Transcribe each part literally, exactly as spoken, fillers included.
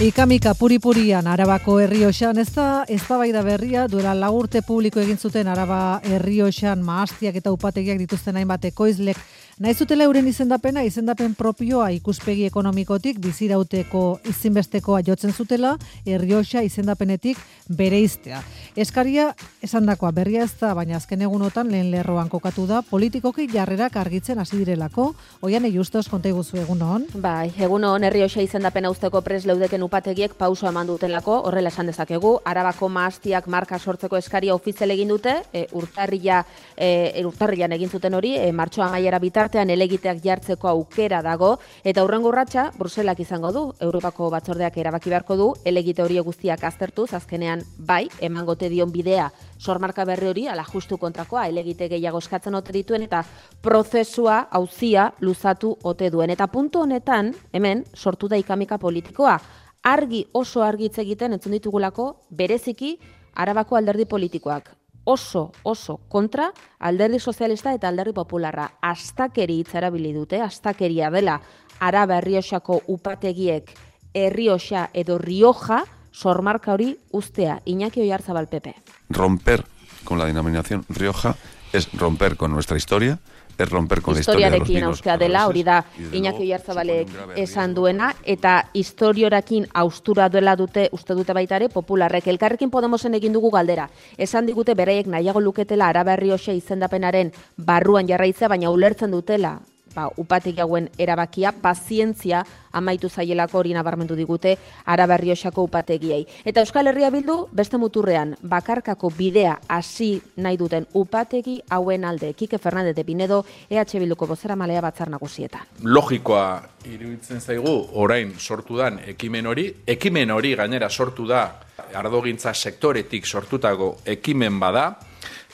Ikamika puripurian Arabako Errioxan ez da eztabaida berria, duela lau urte publiko egin zuten Araba Errioxan mahastiak eta upategiak dituzten hainbat ekoizlek nahi zutela euren izendapena, izendapen propioa ikuspegi ekonomikotik bizirauteko izinbestekoa jotzen zutela Errioxa izendapenetik bereiztea. Eskaria esandakoa berria ez da, baina azken egunotan lehen lerroan kokatu da, politikoki jarrerak argitzen hasi direlako. Oian Justos, konta iguzu egunon. Bai, egunon Errioxa izendapena uzteko prest leudeken upategiek pauso eman dutelako, horrela esan dezakegu, Arabako mahastiak marka sortzeko eskaria ofizial egin dute, e, urtarrila, e, urtarrilan egin zuten hori, e, martxoa amaiera bitartean elegiteak jartzeko aukera dago, eta hurrengo urratsa Bruselak izango du, Europako batzordeak erabaki beharko du, elegite hori guztiak aztertuz, azkenean bai, emangote dion bidea, sormarka berri hori, ala justu kontrakoa, elegite gehiago eskatzen ote dituen, eta prozesua, auzia, luzatu ote duen. Eta puntu honetan, hemen, sortu da ikamika politikoa, argi oso argitz egiten entzun ditugulako bereziki Arabako alderdi politikoak. Oso, oso kontra alderdi sozialista eta alderdi popularra. Astakeri hitza erabili dute, astakeria dela Araba Errioxako upategiek Errioxa edo Rioja sormarka hori uztea. Iñaki Oyarzabal, P P. Romper con la denominación Rioja es romper con nuestra historia, es romper con la historia de los vinos. Historiarekin dela, hori da Iñaki Oyarzabalek esan duena, eta historiorakin austura duela dute, uste dute baita ere, popularrek. Elkarrekin Podemosen egin dugu galdera. Esan digute beraiek nahiago luketela Araba Errioxa izendapenaren barruan jarraitzea, baina ulertzen dutela, ba, upategi hauen erabakia, pazientzia amaitu zaielako hori nabarmendu digute Araba Errioxako upategiei. Eta Euskal Herria Bildu beste muturrean bakarkako bidea hasi nahi duten upategi hauen alde. Kike Fernandez de Pinedo, E H Bilduko bozeramaileak Batzar Nagusietan. Logikoa iruditzen zaigu orain sortu dan ekimen hori, ekimen hori gainera sortu da ardogintza sektoretik sortutako ekimen bada,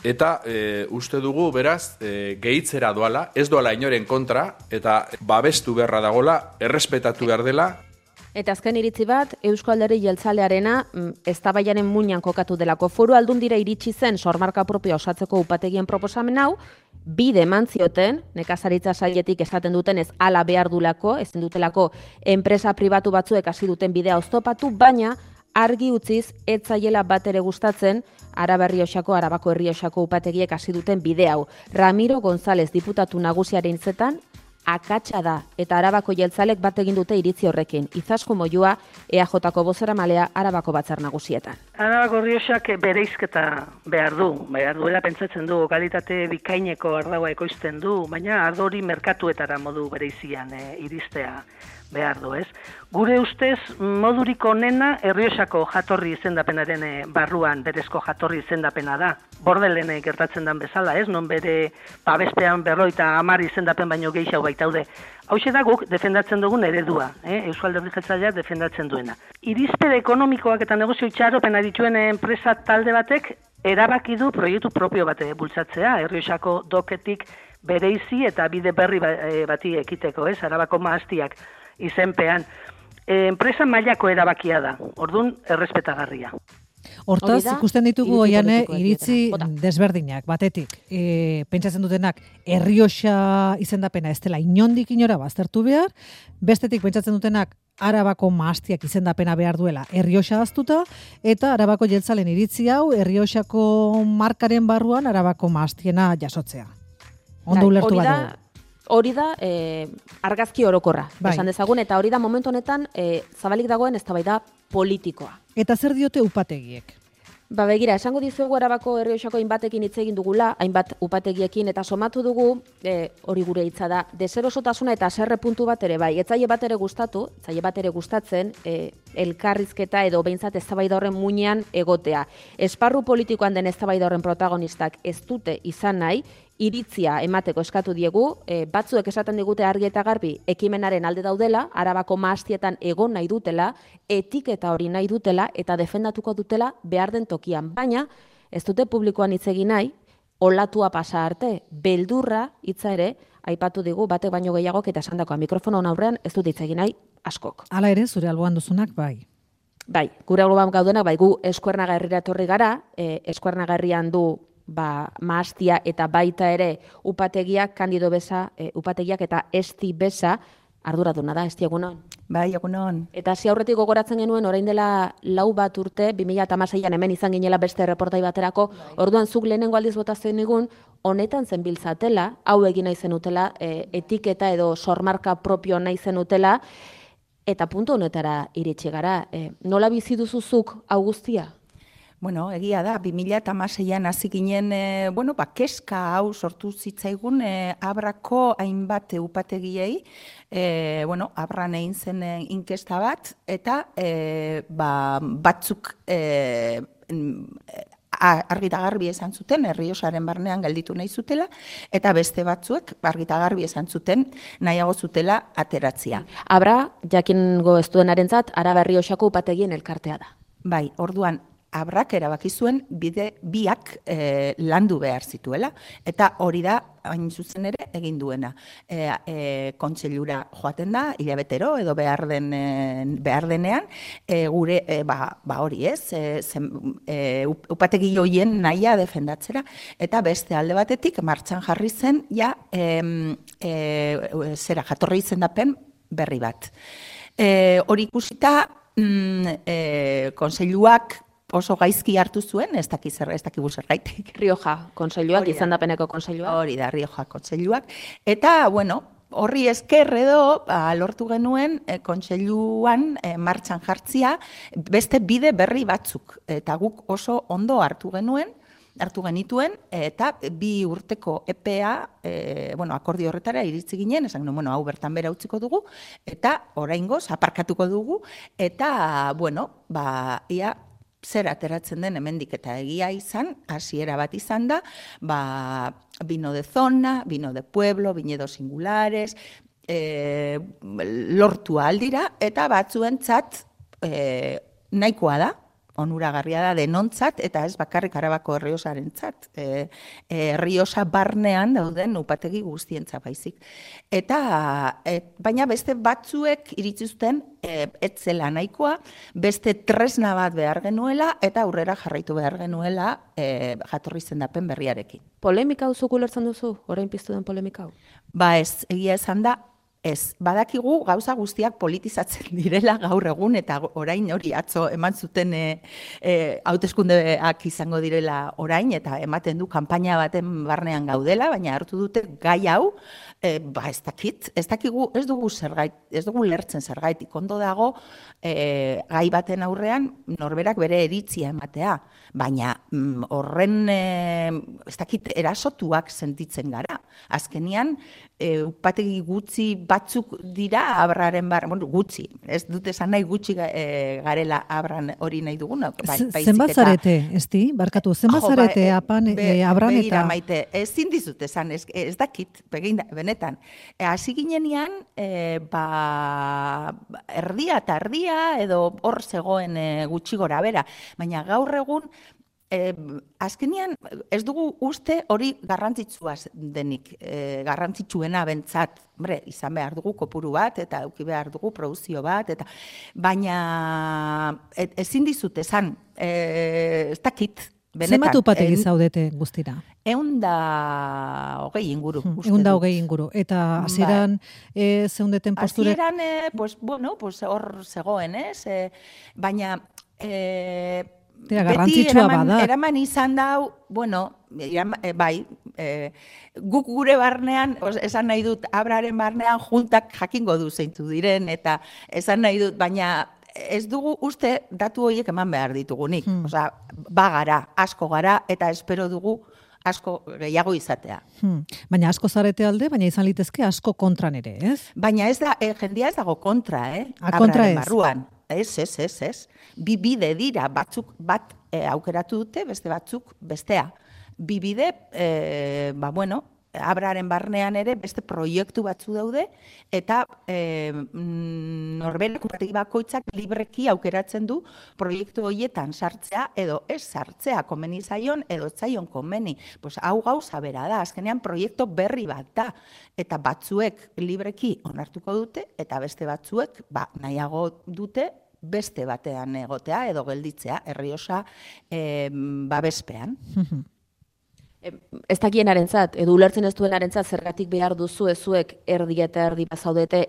eta e, uste dugu, beraz, e, gehitzera doala, ez doala inoren kontra, eta babestu beharra dagola, errespetatu behar dela. Eta azken iritzi bat, Eusko Alderdi Jeltzalearena eztabaidaren muinean kokatu delako. Foru Aldundira iritsi zen sormarka propioa osatzeko upategien proposamen hau, bide eman zioten, nekazaritza sailetik esaten duten ez hala behar dulako, ezin dutelako enpresa pribatu batzuek hasi duten bidea oztopatu, baina argi utziz ez zaiela bat ere gustatzen Araba Errioxako, Arabako Errioxako upategiek hasi duten bide hau. Ramiro González diputatu nagusiaren hitzetan akatsa da eta Arabako jeltzalek bat egin dute iritzi horrekin. Izaskun Moyua, E A Jko bozeramalea Arabako Batzar Nagusietan. Arabako Errioxak bereizketa behar du, behar duela pentsatzen du, kalitate bikaineko ardaua ekoizten du, baina ardo hori merkatuetara modu bereizian e, iristea behar du, ez? Gure ustez, modurik onena Errioxako jatorri izendapenaren barruan berezko jatorri izendapena da. Bordelen gertatzen den bezala, ez? Non bere babespean berroita hamar izendapen baino gehiago baitaude. Hauxe da guk defendatzen dugun eredua, eh? Euskal Alderdi Jeltzaleak defendatzen duena. Irizpide ekonomikoak eta negozio itxaropena dituen enpresa talde batek erabaki du proiektu propio bat bultzatzea, Errioxako doketik bereizi eta bide berri bati ekiteko, ez? Arabako mahastiak izenpean. E, enpresa mailako erabakia da, ordun errespetagarria. Hortaz, ikusten ditugu oiane iritzi desberdinak, batetik. E, pentsatzen dutenak, Errioxa izendapena ez dela inondik inora baztertu behar, bestetik pentsatzen dutenak, Arabako mahastiak izendapena behar duela Errioxa aztuta, eta Arabako jeltzalen iritzi hau, Errioxako markaren barruan Arabako mahastiena jasotzea. Ondo ulertu badu. Hori da eh, argazki orokorra, bai. Esan dezagun, eta hori da momentu honetan eh, zabalik dagoen eztabaida politikoa. Eta zer diote upategiek? Ba begira, esango dizuegu Arabako Errioxako hainbatekin hitz egin dugula, hainbat upategiekin, eta somatu dugu, e, hori gure hitza da, deserosotasuna eta haserre puntu bat ere bai. Etzaile bat ere gustatu, etzaile bat ere gustatzen, e, elkarrizketa edo behintzat eztabaida horren muinean egotea. Esparru politikoan den eztabaida horren protagonistak ez dute izan nahi, iritzia emateko eskatu diegu, e, batzuek esaten digute argi eta garbi ekimenaren alde daudela, Arabako mahastietan egon nahi dutela, etiketa hori nahi dutela eta defendatuko dutela behar den tokian. Baina, ez dute publikoan hitz egin nahi, olatua pasa arte, beldurra hitza ere, aipatu digu batek baino gehiagok eta esandakoa mikrofono aurrean ez dut hitz egin nahi askok. Hala ere, zure alboan duzunak bai. Bai, gure alboan gaudenak, bai, gu Eskuernaga herrira etorri gara, e, Eskuernaga herrian du ba, mahastia eta baita ere upategiak, Kandido Besa, e, upategiak eta Esti Besa, arduraduna da, Esti egunon. Bai, egunon. Eta hasi aurretik gogoratzen genuen, orain dela lau bat urte, bi mila hamaseian hemen izan ginela beste reportai baterako, orduan zuk lehenengo aldiz botatzen nigun, honetan zenbiltzatela, hau egin nahi zenutela, e, etiketa edo sormarka propio nahi zenutela, eta puntu honetara iritsi gara. E, nola bizi duzuzuk hau guztia? Bueno, egia da, bi mila hamaseian hasi ginen, e, bueno, ba, keska hau sortu zitzaigun e, Abrako hainbat upategiei, e, bueno, Abran egin zen e, inkesta bat, eta e, ba, batzuk e, argi eta garbi esan zuten, Errioxaren barnean gelditu nahi zutela, eta beste batzuek argi eta garbi esan zuten nahiago zutela ateratzia. Abra, jakingo ez duenarentzat, Araba Errioxako upategien elkartea da. Bai, orduan, Abrak erabaki zuen bide biak e, landu behar zituela, eta hori da, hain zuzen ere, egin duena. E, e, kontseilura joaten da, hilabetero, edo behar, den, e, behar denean, e, gure, e, ba, ba hori ez, e, zen, e, upategi joien nahia defendatzera, eta beste alde batetik, martxan jarri zen, ja, e, e, zera, jatorri izendapen berri bat. E, hori ikusita, mm, e, konseiluak, oso gaizki hartu zuen, ez daki zer, ez daki zergaitik. Rioja kontseiluak, izendapeneko kontseiluak. Hori da, Rioja kontseiluak. Eta, bueno, horri esker edo, ba, lortu genuen, e, kontseiluan e, martxan jartzia, beste bide berri batzuk. Eta guk oso ondo hartu genuen, hartu genituen, eta bi urteko epea, e, bueno, akordio horretara iritzi ginen, esan, no, bueno, hau bertan bera utziko dugu, eta oraingoz aparkatuko dugu, eta, bueno, ba, ia, zer ateratzen den hemendik eta egia izan, hasiera bat izan da, ba, vino de zona, vino de pueblo, viñedos singulares, e, lortu aldira, eta batzuentzat e, nahikoa da, onuragarria da denontzat, eta ez bakarrik Arabako Errioxarentzat, e, e, Errioxa barnean dauden upategi guztientzat baizik. Eta, e, baina beste batzuek iritsi zuten e, ez zela nahikoa, beste tresna bat behar genuela, eta aurrera jarraitu behar genuela e, jatorri izendapen berriarekin. Polemika hau zuk ulertzen duzu, orain piztu den polemika hau? Ba ez, egia esan da, ez, badakigu gauza guztiak politizatzen direla gaur egun, eta orain hori atzo eman zuten e, e, hauteskundeak izango direla orain, eta ematen du kanpaina baten barnean gaudela, baina hartu dute gai hau, e, ba ez dakit, ez dakigu, ez dugu zergait, ez dugu lertzen zergaitik, ondo dago e, gai baten aurrean norberak bere iritzia ematea, baina mm, horren e, ez dakit erasotuak sentitzen gara. Azkenian, e, upategi gutxi batzuk dira Abraren bar, bueno, gutxi, ez dut esan nahi gutxi e, garela Abran hori nahi duguna. Ba, zenbat zarete, esti? Barkatu, zenbat zarete ba, apan be, e, Abran eta... Begira, Maite, ezin dizut esan, ez, ez dakit, begin, benetan. Hasi e, ginenean, e, ba, erdia eta erdia, edo hor zegoen e, gutxi gora bera, baina gaur egun, E, azkenean, ez dugu uste hori garrantzitsua denik, e, garrantzitsuena bentsat, bre, izan behar dugu kopuru bat, eta eduki behar dugu produzio bat, eta baina et, ezin dizut esan, e, ez dakit, benetan. Zenbat upategi zaudete guztira? Egun da hogei inguru. Egun da hogei inguru. Eta hasieran e, zeundeten posturek? Hasieran, e, pues, bueno, pues, hor zegoen, ez? E, baina... E, Tira, garrantzitsua eraman, bada. Eraman izan dau, bueno, eraman, e, bai, e, guk gure barnean, os, esan nahi dut, Abraren barnean juntak jakingo du zeintu diren, eta esan nahi dut, baina ez dugu uste datu horiek eman behar ditugunik. Hmm. Osea, bagara, asko gara, eta espero dugu asko gehiago izatea. Hmm. Baina asko zarete alde, baina izan litezke asko kontran ere, ez? Baina ez da, e, jendia ez dago kontra, eh? A, kontra ez. Barruan. Ez, ez, ez, ez. Bi bide dira, batzuk bat e, aukeratu dute, beste batzuk bestea. Bi bide, e, ba, bueno, Abraren barnean ere beste proiektu batzu daude, eta e, norberak upategi bakoitzak libreki aukeratzen du proiektu horietan sartzea edo ez sartzea, komeni zaion edo zaion komeni. Pues, hau gauza bera da, azkenean proiektu berri bat da, eta batzuek libreki onartuko dute, eta beste batzuek ba, nahiago dute beste batean egotea edo gelditzea, Errioxa e, babespean. Ez dakienarentzat, edo ulertzen ez duenarentzat zergatik behar duzu ezuek erdi eta erdi bazaudete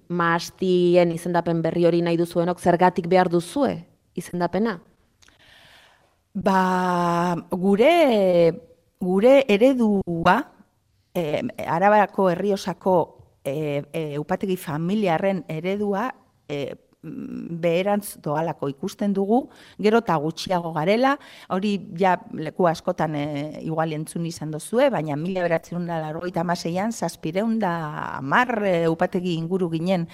maastien izendapen berri hori nahi duzuenok, zergatik behar duzue izendapena? Ba, gure, gure eredua, e, Arabarako Errioxako e, e, upategi familiarren eredua, e, beherantz doalako ikusten dugu, gero eta gutxiago garela, hori ja leku askotan e, igual entzun izan dozue, baina mila beratzen da largoita amaseian, zazpireun da amar e, upategi inguru ginen,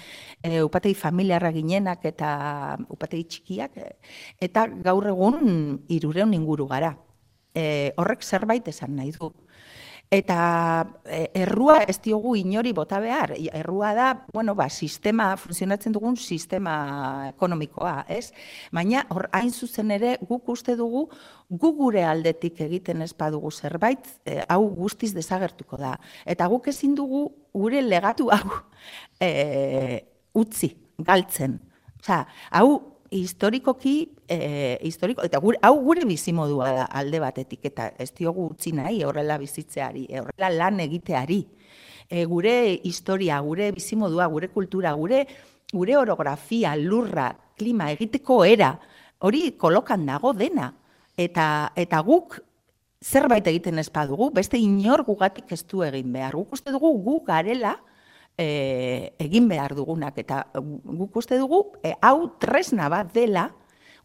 e, upategi familiarra ginenak eta upategi txikiak, e, eta gaur egun hirureun inguru gara. E, horrek zerbait esan nahi du. Eta errua ez diogu inori bota behar. Errua da, bueno, ba, sistema, funtzionatzen dugun sistema ekonomikoa, ez? Baina, hor, hain zuzen ere, guk uste dugu, gu gure aldetik egiten ez badugu zerbait, eh, hau guztiz desagertuko da. Eta guk ezin dugu gure legatu hau eh, utzi, galtzen. Osea, hau, historikoki, eh, historiko, eta gure, hau gure bizimodua da alde batetik, eta ez diogu utzi nahi horrela bizitzeari, horrela lan egiteari. E, gure historia, gure bizimodua, gure kultura, gure, gure orografia, lurra, klima, egiteko era, hori kolokan dago dena. Eta, eta guk zerbait egiten ez badugu, beste inor gugatik ez du egin behar. Guk uste dugu gu garela, E, egin behar dugunak, eta guk uste dugu, e, hau tresna bat dela,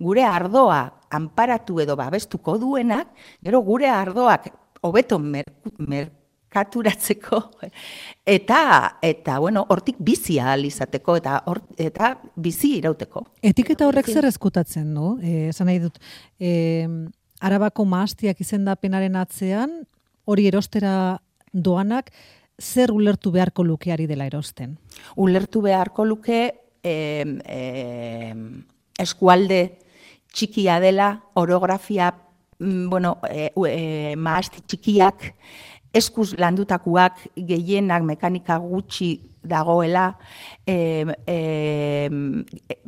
gure ardoa anparatu edo babestuko duenak, gero gure ardoak hobeto merkaturatzeko, eta, eta bueno, hortik bizi ahal izateko, eta, or, eta bizi irauteko. Etiketa horrek zer ezkutatzen du? E, esan nahi dut, e, Arabako mahastiak izendapenaren atzean, hori erostera doanak, zer ulertu beharko lukeari dela erosten? Ulertu beharko luke eh, eh, eskualde txikia dela, orografia, bueno, eh, eh, mahasti txikiak, eskuz landutakuak, gehienak mekanika gutxi dagoela, eh, eh,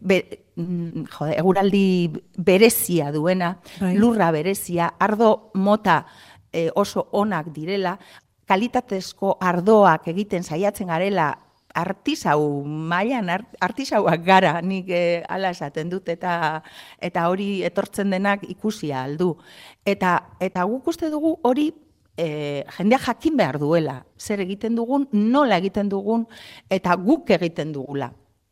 be, jode, eguraldi berezia duena, bai. Lurra berezia, ardo mota eh, oso onak direla, kalitatezko ardoak egiten saiatzen garela, artisau mailan artisauak gara, nik eh, ala esaten dut, eta eta hori etortzen denak ikusia aldu. Eta, eta guk uste dugu hori eh, jendea jakin behar duela, zer egiten dugun, nola egiten dugun, eta guk egiten dugula.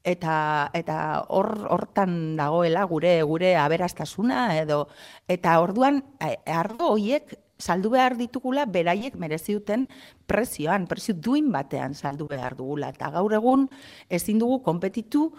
Eta eta hor hortan dagoela gure gure aberastasuna edo eta orduan ardo hoiek saldu behar ditugula beraiek merezi duten prezioan, prezio duin batean saldu behar dugula. Eta gaur egun ezin dugu konpetitu,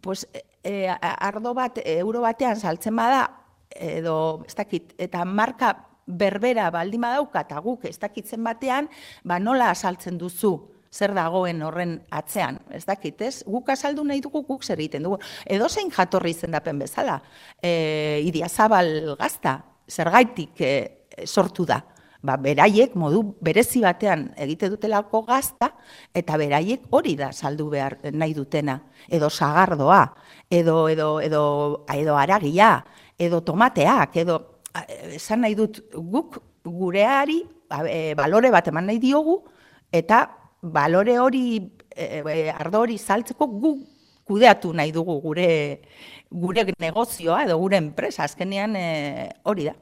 pues, e, ardo bat euro batean saltzen bada, edo ez dakit, eta marka berbera baldin badauka, eta guk ez dakitzen batean, ba nola saltzen duzu zer dagoen horren atzean, ez dakit, ez? Guk azaldu nahi dugu, guk zer egiten dugu. Edo zein jatorri izendapen bezala, e, Idiazabal gazta, zergaitik e, sortu da. Ba, beraiek modu berezi batean egite dutelako gazta, eta beraiek hori da saldu behar nahi dutena. Edo sagardoa, edo, edo, edo, edo aragia, edo tomateak, edo esan nahi dut guk gureari e, balore bat eman nahi diogu, eta balore hori, e, ardo hori saltzeko guk kudeatu nahi dugu gure, gure negozioa edo gure enpresa, azkenean e, hori da.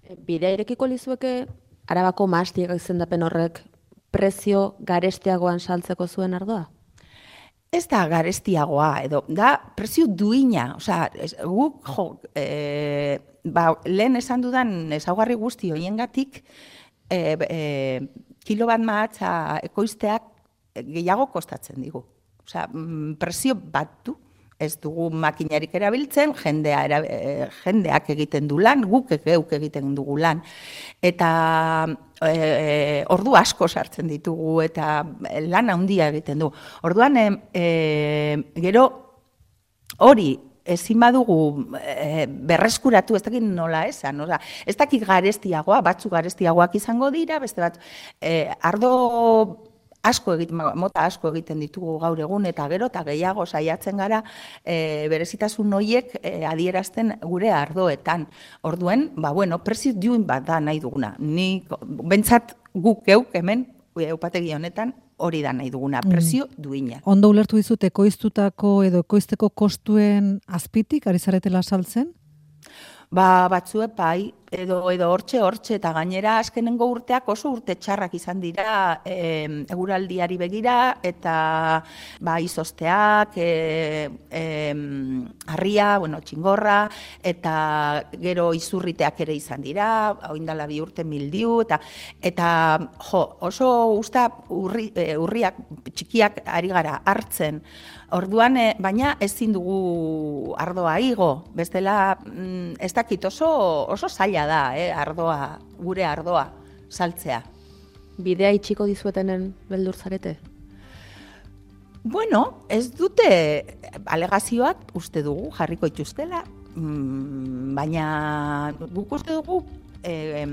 Bidea irekiko lizueke Arabako mahastiak izendapen horrek prezio garestiagoan saltzeko zuen ardoa? Ez da garestiagoa, edo da prezio duina, osea, guk jo, e, ba, lehen esan dudan ezaugarri guzti hoiengatik, e, e, kilo bat mahatza ekoizteak gehiago kostatzen digu. Osea, prezio bat du. Ez dugu makinarik erabiltzen, jendea era, e, jendeak egiten du lan, guk geuk egiten dugu lan. Eta e, ordu asko sartzen ditugu eta lan handia egiten du. Orduan, e, e, gero hori ezin badugu e, berreskuratu, ez dakit nola esan, oza, ez dakit garestiagoa, batzuk garestiagoak izango dira, beste bat, e, ardo asko egiten, mota asko egiten ditugu gaur egun, eta gero eta gehiago saiatzen gara e, berezitasun horiek e, adierazten gure ardoetan. Orduen, ba bueno, prezio duin bat da nahi duguna. Ni bentsat guk geuk hemen, upategi honetan, hori da nahi duguna, presio duina. Ondo ulertu dizut ekoiztutako edo ekoizteko kostuen azpitik, ari zaretela saltzen? Ba, batzue bai, edo edo hortxe, hortxe, eta gainera azkenengo urteak oso urte txarrak izan dira e, eguraldiari begira, eta ba, izozteak, e, e, harria, bueno, txingorra, eta gero izurriteak ere izan dira, oindala bi urte mildiu, eta, eta jo, oso usta urri, e, urriak txikiak ari gara hartzen. Orduan, e, baina ezin dugu ardoa igo, bestela mm, ez dakit oso, oso zaila da, eh, ardoa, gure ardoa saltzea. Bidea itxiko dizuetenen beldur zarete? Bueno, ez dute alegazioak uste dugu jarriko ituztela, mm, baina guk uste dugu eh,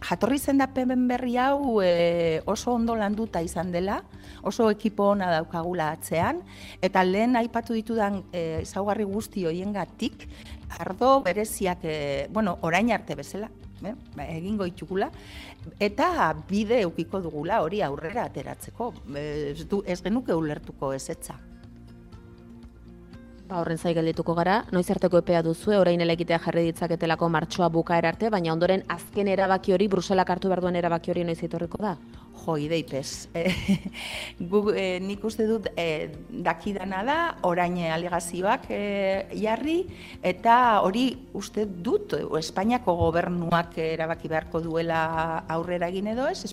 jatorri izendapen berri hau e, oso ondo landuta izan dela, oso ekipo ona daukagula atzean, eta lehen aipatu ditudan e, ezaugarri guzti hoiengatik ardo bereziak, e, bueno, orain arte bezala, eh, egingo itugula, eta bide eukiko dugula hori aurrera ateratzeko. Ez, du, ez genuke ulertuko ezetza. Ba, horren zai geldituko gara, noiz arteko epea duzue, orain elekitea jarri ditzaketelako martxoa bukaera arte, baina ondoren azken erabaki hori, Bruselak hartu behar duen erabaki hori noiz etorriko da? Jo, ideipez. E, nik uste dut e, dakidana da, orain alegazioak e, jarri, eta hori uste dut Espainiako gobernuak erabaki beharko duela aurrera egin edo ez,